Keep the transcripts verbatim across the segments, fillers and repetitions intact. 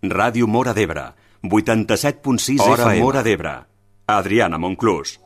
Ràdio Móra d'Ebre, vuitanta-set punt sis F M. Móra d'Ebre. Adriana Monclús.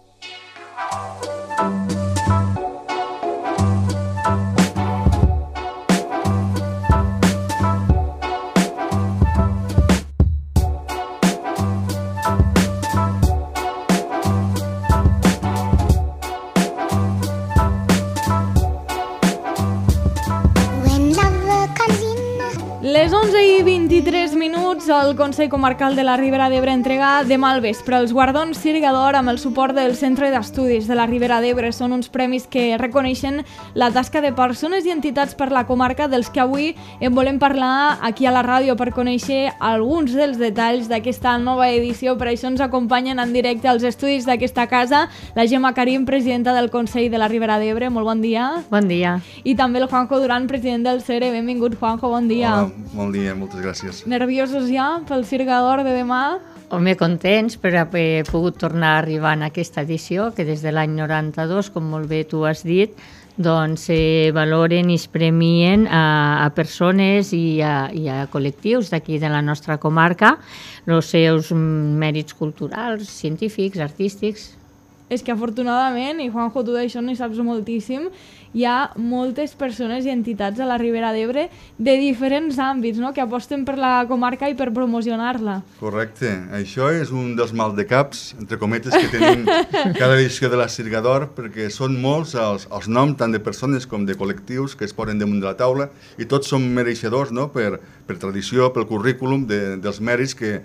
Les onze i vint-i-tres minuts, el Consell Comarcal de la Ribera d'Ebre entrega demà al vespre els guardons Sirga d'Or amb el suport del Centre d'Estudis de la Ribera d'Ebre. Són uns premis que reconeixen la tasca de persones i entitats per la comarca dels que avui en volem parlar aquí a la ràdio per conèixer alguns dels detalls d'aquesta nova edició. Per això ens acompanyen en directe als estudis d'aquesta casa la Gemma Karim, presidenta del Consell de la Ribera d'Ebre. Molt bon dia. Bon dia. I també el Juanjo Duran, president del C E R E. Benvingut, Juanjo, bon dia. Hola. Bon dia, moltes gràcies. Nerviosos ja pel Sirga d'Or de demà? Home, contents per haver pogut tornar a arribar en aquesta edició, que des de l'any noranta-dos, com molt bé tu has dit, doncs eh, valoren i es premien a, a persones i a, i a col·lectius d'aquí de la nostra comarca els seus mèrits culturals, científics, artístics. És que afortunadament, i Juanjo, tu d'això n'hi saps moltíssim, hi ha moltes persones i entitats a la Ribera d'Ebre de diferents àmbits, no?, que aposten per la comarca i per promocionar-la. Correcte. Això és un dels mal de caps, entre cometes, que tenim cada edició de la Sirga d'Or, perquè són molts els, els noms, tant de persones com de col·lectius, que es posen damunt de la taula, i tots són mereixedors, no?, per, per tradició, pel currículum de, dels mèrits que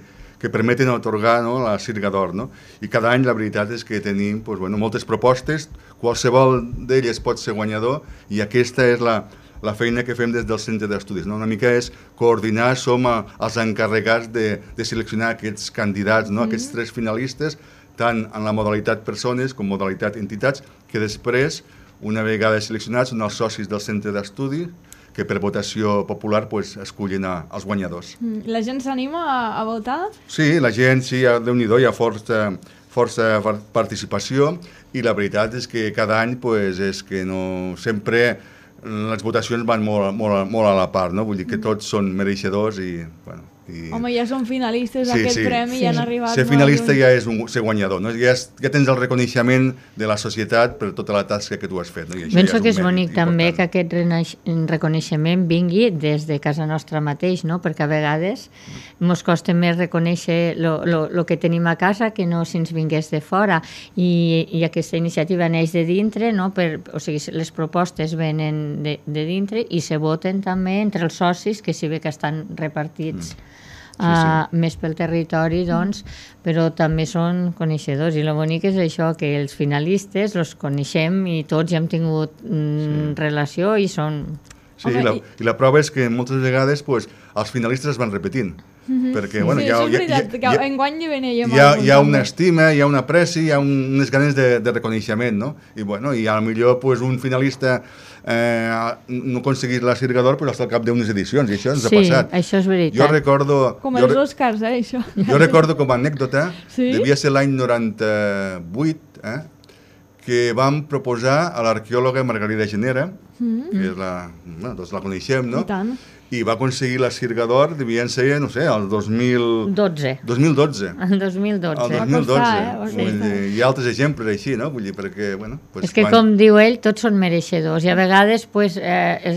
que permeten atorgar, no, la Sirga d'Or. No? I cada any la veritat és que tenim pues, bueno, moltes propostes, qualsevol d'elles pot ser guanyador, i aquesta és la, la feina que fem des del Centre d'Estudis. No? Una mica és coordinar, som a, els encarregats de, de seleccionar aquests candidats, no? Mm-hmm. Aquests tres finalistes, tant en la modalitat persones com modalitat entitats, que després, una vegada seleccionats, són els socis del Centre d'Estudis, que per votació popular pues, escullen a, els guanyadors. La gent s'anima a, a votar? Sí, la gent, sí, Déu-n'hi-do, hi ha força, força participació, i la veritat és que cada any pues, és que no, sempre les votacions van molt, molt, molt a la part, no? Vull dir que tots són mereixedors i... Bueno, i... Home, ja són finalistes d'aquest sí, sí, premi i sí. Han arribat... Ser finalista ja és un, ser guanyador, no? Ja, és, ja tens el reconeixement de la societat per tota la tasca que tu has fet. No? I Penso ja que és bonic també que aquest reconeixement vingui des de casa nostra mateix, no? Perquè a vegades ens costa més reconèixer el que tenim a casa que no si ens vingués de fora, i, i aquesta iniciativa neix de dintre, no? Per, o sigui, les propostes venen de, de dintre i se voten també entre els socis, que si bé que estan repartits mm. Sí, sí. Uh, més pel territori, doncs, però també són coneixedors, i el bonic és això, que els finalistes els coneixem i tots ja hem tingut mm, sí. relació i són... Sí, okay. i, la, i la prova és que moltes vegades pues, els finalistes es van repetint. Mm-hmm. Perquè, bueno, sí, hi ha, això és veritat, hi ha, que enguany hi veníem. Hi ha, hi ha una estima, hi ha una pressi, hi ha un, unes ganes de, de reconeixement, no? I, bueno, i a lo millor pues, un finalista eh, no aconseguís la Sirga d'Or pues, hasta al cap d'unes edicions, i això ens sí, ha passat. Sí, això és veritat. Jo recordo... Com jo, els Oscars, eh, això. Jo recordo com a anècdota, sí? devia ser l'any noranta-vuit, eh, que vam proposar a l'arqueòloga Margarida Genera, mm. que és la, bueno, tots la coneixem, no? I tant. I va aconseguir la Sirga d'Or, devien ser, no sé, el dos mil dotze. dos mil dotze. El dos mil dotze. El dos mil dotze. Va costar, eh? Dir, hi ha altres exemples així, no? Vull dir, perquè, bueno... Pues, és que, quan... com diu ell, tots són mereixedors. I a vegades, pues, eh,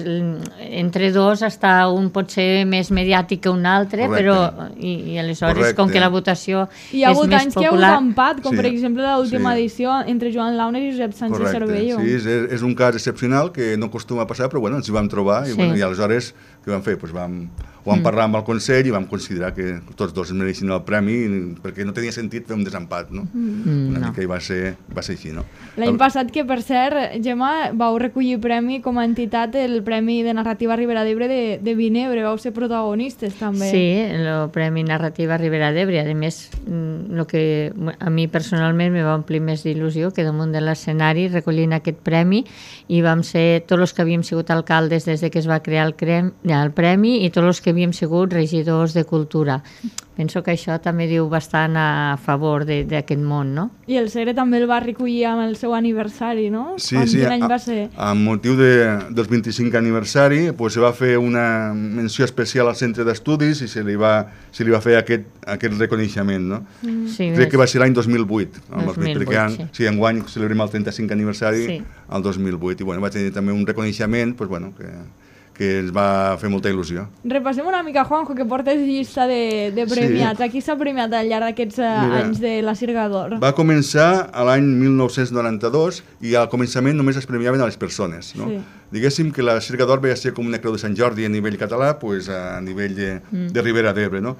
entre dos, està un pot ser més mediàtic que un altre, correcte. Però... I, i aleshores, correcte. Com que la votació és més popular... Hi ha hagut anys que hi ha hagut empat, com sí. per exemple l'última sí. edició entre Joan Launer i Josep Sánchez correcte. Cervello. Sí, és, és un cas excepcional que no acostuma a passar, però bueno, ens hi vam trobar i, sí. bueno, i aleshores què vam fer? Pues vam... Ho vam parlar amb el Consell i vam considerar que tots dos mereixien el premi perquè no tenia sentit fer un desempat, no? Mm, Una no. mica i va ser, va ser així, no? L'any passat, que per cert, Gemma, vau recollir premi com a entitat, el Premi de Narrativa Ribera d'Ebre de, de Vinebre, vau ser protagonistes també. Sí, el Premi Narrativa Ribera d'Ebre, a més, el que a mi personalment me va omplir més d'il·lusió que damunt de l'escenari recollint aquest premi, i vam ser tots els que havíem sigut alcaldes des de que es va crear el, crem, el premi i tots els que que havíem sigut regidors de cultura. Penso que això també diu bastant a favor d'aquest món, no? I el Segre també el va recollir amb el seu aniversari, no? Sí, sí, quin any va ser? Amb motiu de, del vint-i-cinquè aniversari pues, se va fer una menció especial al centre d'estudis i se li va, se li va fer aquest, aquest reconeixement, no? Mm. Sí, crec que va ser l'any dos mil vuit, dos mil vuit, perquè sí. Sí, enguany celebrem el trenta-cinquè aniversari sí. el dos mil vuit, i bueno, va tenir també un reconeixement pues, bueno, que... que ens va fer molta il·lusió. Repassem una mica, Juanjo, que portes llista de, de premiats. Sí. Aquí s'ha premiat al llarg d'aquests anys de la Sirga d'Or. Va començar a l'any mil nou-cents noranta-dos i al començament només es premiaven a les persones. No? Sí. Diguéssim que la Sirga d'Or va ser com una creu de Sant Jordi a nivell català, pues, a nivell de, mm. de Ribera d'Ebre. No?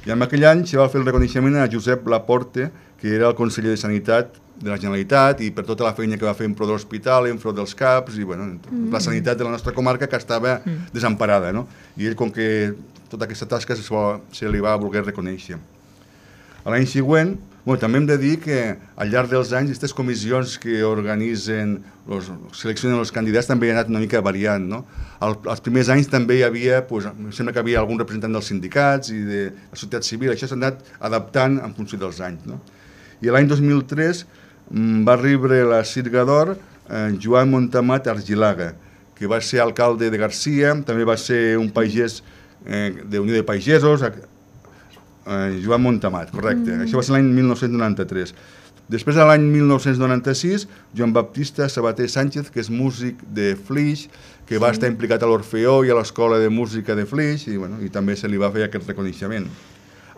I en aquell any se va fer el reconeixement a Josep Laporte, que era el conseller de Sanitat de la Generalitat, i per tota la feina que va fer en pro de l'hospital, en pro dels CAPs, i bueno, mm. la sanitat de la nostra comarca que estava mm. desemparada, no? I ell, com que tota aquesta tasca se, se li va voler reconèixer. A l'any següent, bueno, també hem de dir que al llarg dels anys aquestes comissions que organitzen, los, seleccionen els candidats, també han anat una mica variant, no? Al, als primers anys també hi havia, pues, em sembla que hi havia algun representant dels sindicats i de la societat civil, això s'ha anat adaptant en funció dels anys, no? I l'any dos mil tres va rebre la Sirga d'Or eh, Joan Montamat Argilaga, que va ser alcalde de Garcia, també va ser un pagès eh, de Unió de Pagesos, eh, Joan Montamat, correcte. Mm. Això va ser l'any mil nou-cents noranta-tres. Després, a l'any mil nou-cents noranta-sis, Joan Baptista Sabater Sánchez, que és músic de Flix, que va sí. estar implicat a l'Orfeó i a l'Escola de Música de Flix, i, bueno, i també se li va fer aquest reconeixement.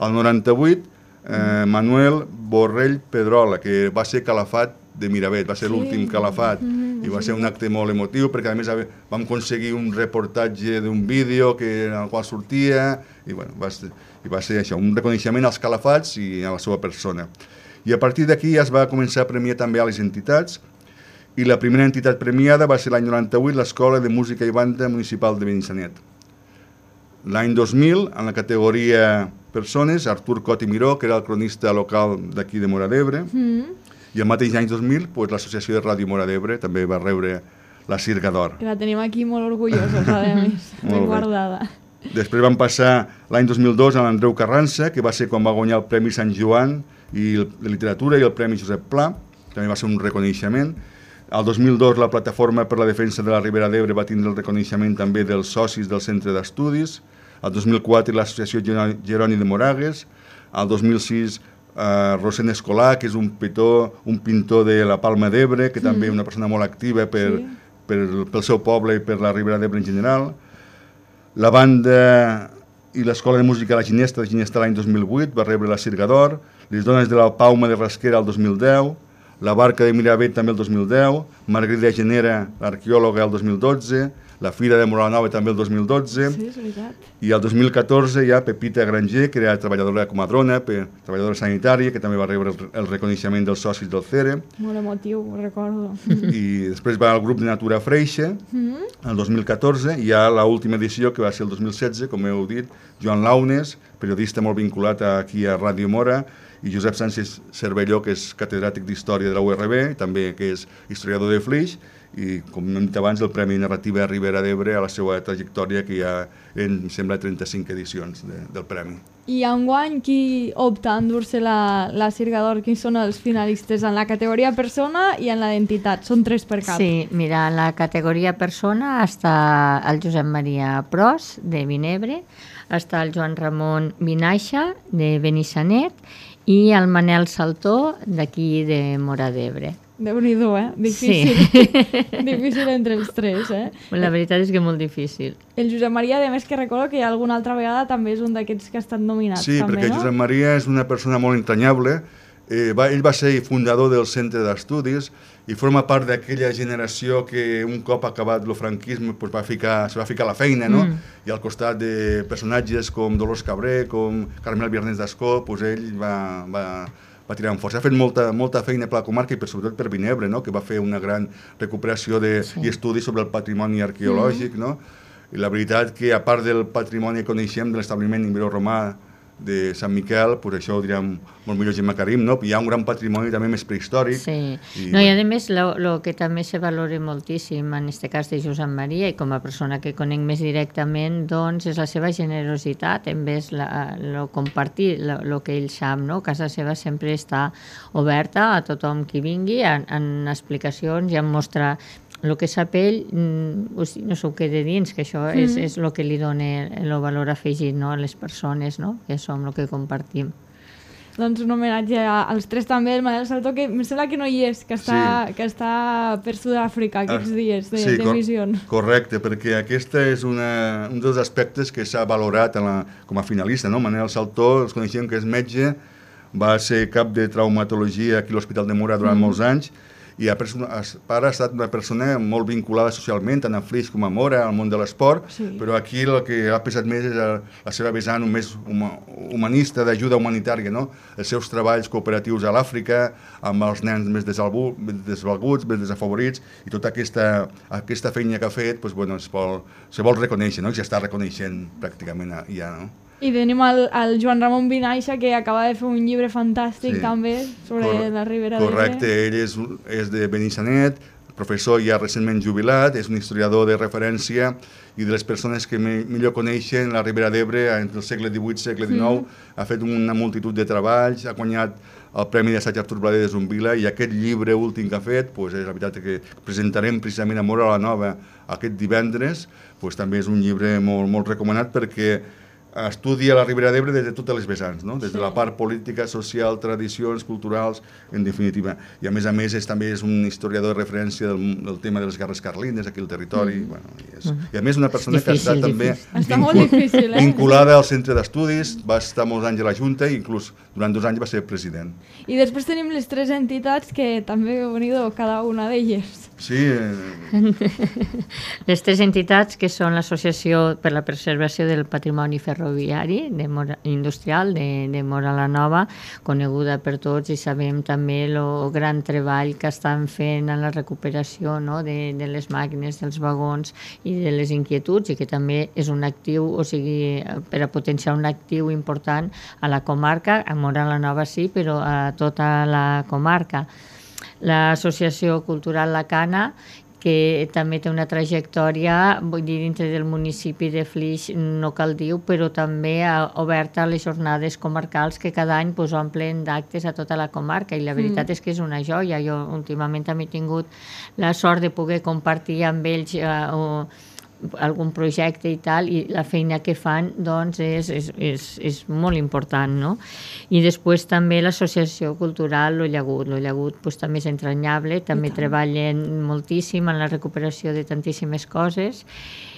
Al noranta-vuit, Eh, Manuel Borrell Pedrola, que va ser calafat de Miravet, va ser sí. l'últim calafat, mm-hmm. i va ser un acte molt emotiu, perquè a més vam aconseguir un reportatge d'un vídeo que, en el qual sortia, i, bueno, va ser, i va ser això, un reconeixement als calafats i a la seva persona. I a partir d'aquí ja es va començar a premiar també a les entitats, i la primera entitat premiada va ser l'any noranta-vuit l'Escola de Música i Banda Municipal de Benissanet. L'any dos mil, en la categoria persones, Artur Cot i Miró, que era el cronista local d'aquí de Móra d'Ebre, mm. i el mateix any dos mil, pues, l'Associació de Ràdio Móra d'Ebre també va rebre la Sirga d'Or. Que la tenim aquí molt orgullosos, a més, ben guardada. Després van passar l'any dos mil dos a l'Andreu Carrança, que va ser quan va guanyar el Premi Sant Joan i el, de Literatura i el Premi Josep Pla, també va ser un reconeixement. El dos mil dos la Plataforma per la Defensa de la Ribera d'Ebre va tindre el reconeixement també dels socis del Centre d'Estudis. El dos mil quatre l'Associació Jeroni de Moragues. El dos mil sis eh, Rosén Escolà, que és un pintor, un pintor de la Palma d'Ebre, que mm. també és una persona molt activa per, sí. per, pel seu poble i per la Ribera d'Ebre en general. La banda i l'Escola de Música La Ginesta, la Ginesta l'any dos mil vuit, va rebre la Sirga d'Or. Les dones de la Pauma de Rasquera el dos mil deu. La Barca de Miravet també el dos mil deu, Margarida Genera, l'arqueòloga, el dos mil dotze, la Fira de Moranova també el dos mil dotze, sí, és veritat. I el dos mil catorze hi ha Pepita Granger, que era treballadora de comadrona, treballadora sanitària, que també va rebre el reconeixement dels socis del C E R E. Molt emotiu, ho recordo. I després va al grup de Natura Freixa, mm-hmm. el dos mil catorze, i hi ha l'última edició, que va ser el dos mil setze, com heu dit, Joan Launes, periodista molt vinculat aquí a Ràdio Móra, i Josep Sánchez Cervelló, que és catedràtic d'Història de la U R B, també que és historiador de Flix, i, com hem dit abans, el Premi Narrativa Ribera d'Ebre a la seva trajectòria, que hi ha, em sembla, trenta-cinc edicions de, del Premi. I enguany, qui opta a endur-se la, la Sirga d'Or? Quins són els finalistes en la categoria persona i en la d'entitat? Són tres per cap. Sí, mira, en la categoria persona està el Josep Maria Pros, de Vinebre, està el Joan Ramon Vinaixa, de Benissanet, i el Manel Saltó, d'aquí de Móra d'Ebre. Déu-n'hi-do, eh? Difícil. Sí. Difícil entre els tres, eh? La veritat és que molt difícil. El Josep Maria, a més, que recordo que alguna altra vegada també és un d'aquests que ha estat nominat. Sí, també, perquè no? Josep Maria és una persona molt entranyable. Eh, va, ell va ser fundador del Centre d'Estudis i forma part d'aquella generació que un cop acabat el franquisme pues, va ficar, se va ficar a la feina, no? Mm. I al costat de personatges com Dolors Cabré, com Carmel Viernes d'Ascó, pues, ell va, va, va tirar amb força. Ha fet molta, molta feina per la comarca i per, sobretot per Vinebre, no? Que va fer una gran recuperació de, sí. i estudis sobre el patrimoni arqueològic. Mm. No? I la veritat que, a part del patrimoni que coneixem de l'establiment ibero-romà de Sant Miquel, pues això ho direm molt millor Gemma Karim, no? Hi ha un gran patrimoni també més prehistòric. Sí, i, no, i a més el que també se valora moltíssim en aquest cas de Josep Maria, i com a persona que conec més directament, doncs és la seva generositat, en vez de compartir el que ell sap, no? Casa seva sempre està oberta a tothom qui vingui, en, en explicacions i en mostrar el que sap ell, no s'ho queda dins, que això és, és el que li dona el valor afegit, no? A les persones, no? Que som el que compartim. Doncs un homenatge als tres també, el Manel Saltó, que em sembla que no hi és, que està, sí. que està per Sud-àfrica aquests ah, dies de, sí, de missions. Cor correcte, perquè aquesta és una, un dels aspectes que s'ha valorat en la, com a finalista, no? Manel Saltó, els coneixem que és metge, va ser cap de traumatologia aquí a l'Hospital de Mora durant mm. molts anys, i a persona, a part ha estat una persona molt vinculada socialment, tant a Flix com a Mora, al món de l'esport, sí. Però aquí el que ha pesat més és la seva vessant més humanista, d'ajuda humanitària, no? Els seus treballs cooperatius a l'Àfrica, amb els nens més desvalguts, més desafavorits, i tota aquesta, aquesta feina que ha fet, doncs, bueno, es, vol, se vol reconèixer, no? I s'està reconeixent pràcticament ja, no? I tenim el, el Joan Ramon Vinaixa, que acaba de fer un llibre fantàstic sí. també sobre Cor la Ribera d'Ebre. Correcte, ell és, és de Benissanet, professor ja recentment jubilat, és un historiador de referència i de les persones que me, millor coneixen la Ribera d'Ebre entre el segle divuit i el segle dinou, mm. ha fet una multitud de treballs, ha guanyat el Premi d'Assaig Artur Blader de Zumbila, i aquest llibre últim que ha fet, pues, és la veritat que presentarem precisament a Mora la Nova aquest divendres, pues, també és un llibre molt, molt recomanat perquè estudia la Ribera d'Ebre des de totes les vessants, no? Des de la part política, social, tradicions, culturals, en definitiva. I a més a més és, també és un historiador de referència del, del tema de les guerres carlines aquí al territori. Mm. Bueno, i, és, mm. I a més una persona difícil, que ha estat també vincul difícil, eh? vinculada al centre d'estudis, va estar molts anys a la Junta i inclús durant dos anys va ser president. I després tenim les tres entitats que també heu venido cada una d'elles. Sí. Eh... Les tres entitats que són l'Associació per la Preservació del Patrimoni Ferroviari de Mora, Industrial de, de Mora la Nova, coneguda per tots, i sabem també el gran treball que estan fent en la recuperació, no? de, de les màquines, dels vagons i de les inquietuds, i que també és un actiu, o sigui, per a potenciar un actiu important a la comarca, a Mora la Nova sí, però a tota la comarca. L'Associació Cultural La Cana, que també té una trajectòria, vull dir, dintre del municipi de Flix, no cal dir, però també oberta a les jornades comarcals que cada any pues, omplen d'actes a tota la comarca, i la veritat mm. és que és una joia. Jo últimament també he tingut la sort de poder compartir amb ells eh, o, algun projecte i tal, i la feina que fan doncs és, és, és, és molt important, no? I després també l'Associació Cultural Lo Llagut. Lo Llagut pues, també és entranyable, també treballen moltíssim en la recuperació de tantíssimes coses,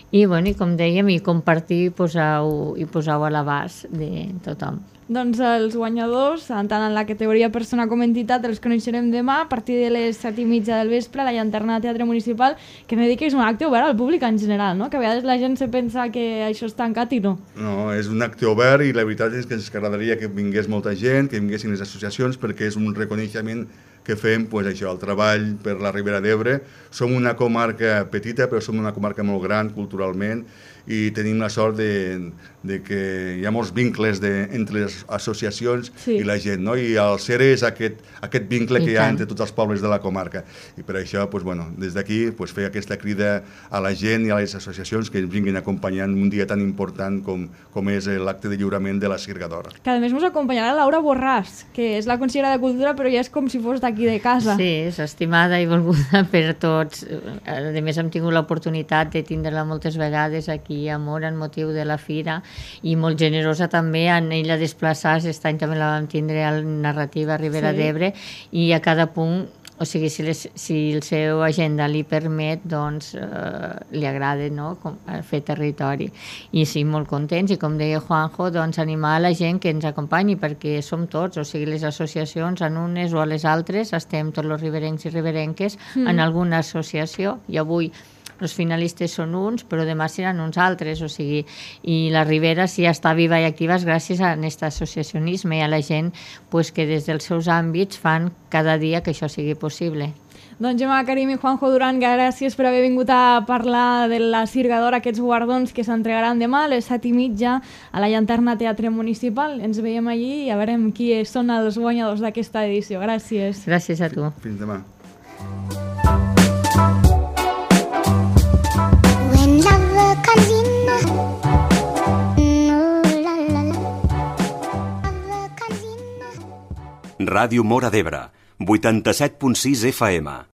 i, bueno, i com dèiem, i compartir posau, i posau a l'abast de tothom. Doncs els guanyadors, tant en la categoria persona com entitat, els coneixerem demà a partir de les set i mitja del vespre a la Llanterna de Teatre Municipal, que m'he dit que és un acte obert al públic en general, no? Que a vegades la gent se pensa que això és tancat i no. No, és un acte obert, i la veritat és que ens agradaria que vingués molta gent, que vinguessin les associacions, perquè és un reconeixement que fem, pues, això, el treball per la Ribera d'Ebre. Som una comarca petita, però som una comarca molt gran culturalment, i tenim la sort de, de que hi ha molts vincles de, entre les associacions sí. i la gent, no? I el C E R E és aquest, aquest vincle I que hi ha entre tots els pobles de la comarca, i per això pues, bueno, des d'aquí pues, fer aquesta crida a la gent i a les associacions que ens vinguin acompanyant un dia tan important com, com és l'acte de lliurament de la Sirgadora. Que a més ens acompanyarà Laura Borràs, que és la consellera de Cultura, però ja és com si fos d'aquí de casa. Sí, és estimada i volguda per tots. A més, hem tingut l'oportunitat de tindre-la moltes vegades aquí a Mora en motiu de la fira, i molt generosa també en ella desplaçar-se. Aquest any també la vam tindre a la narrativa Ribera sí. d'Ebre, i a cada punt, o sigui, si, les, si el seu agenda li permet, doncs eh, li agrada, no? Com, fer territori. I sí, molt contents, i com deia Juanjo, doncs animar a la gent que ens acompanyi, perquè som tots, o sigui, les associacions en unes o a les altres, estem tots els riberencs i riberenques mm. en alguna associació, i avui els finalistes són uns, però demà seran uns altres, o sigui, i la Ribera sí està viva i activa gràcies a aquest associacionisme i a la gent pues, que des dels seus àmbits fan cada dia que això sigui possible. Doncs Gemma Karim i Juanjo Duran, gràcies per haver vingut a parlar de la Sirgador, aquests guardons que s'entregaran demà a les set i mitja a la Llanterna Teatre Municipal. Ens veiem allí i a veurem qui són els guanyadors d'aquesta edició. Gràcies. Gràcies a tu. Fins demà. When love comes in, oh la la la, love comes in. Ràdio Móra d'Ebre, vuitanta-set punt sis F M.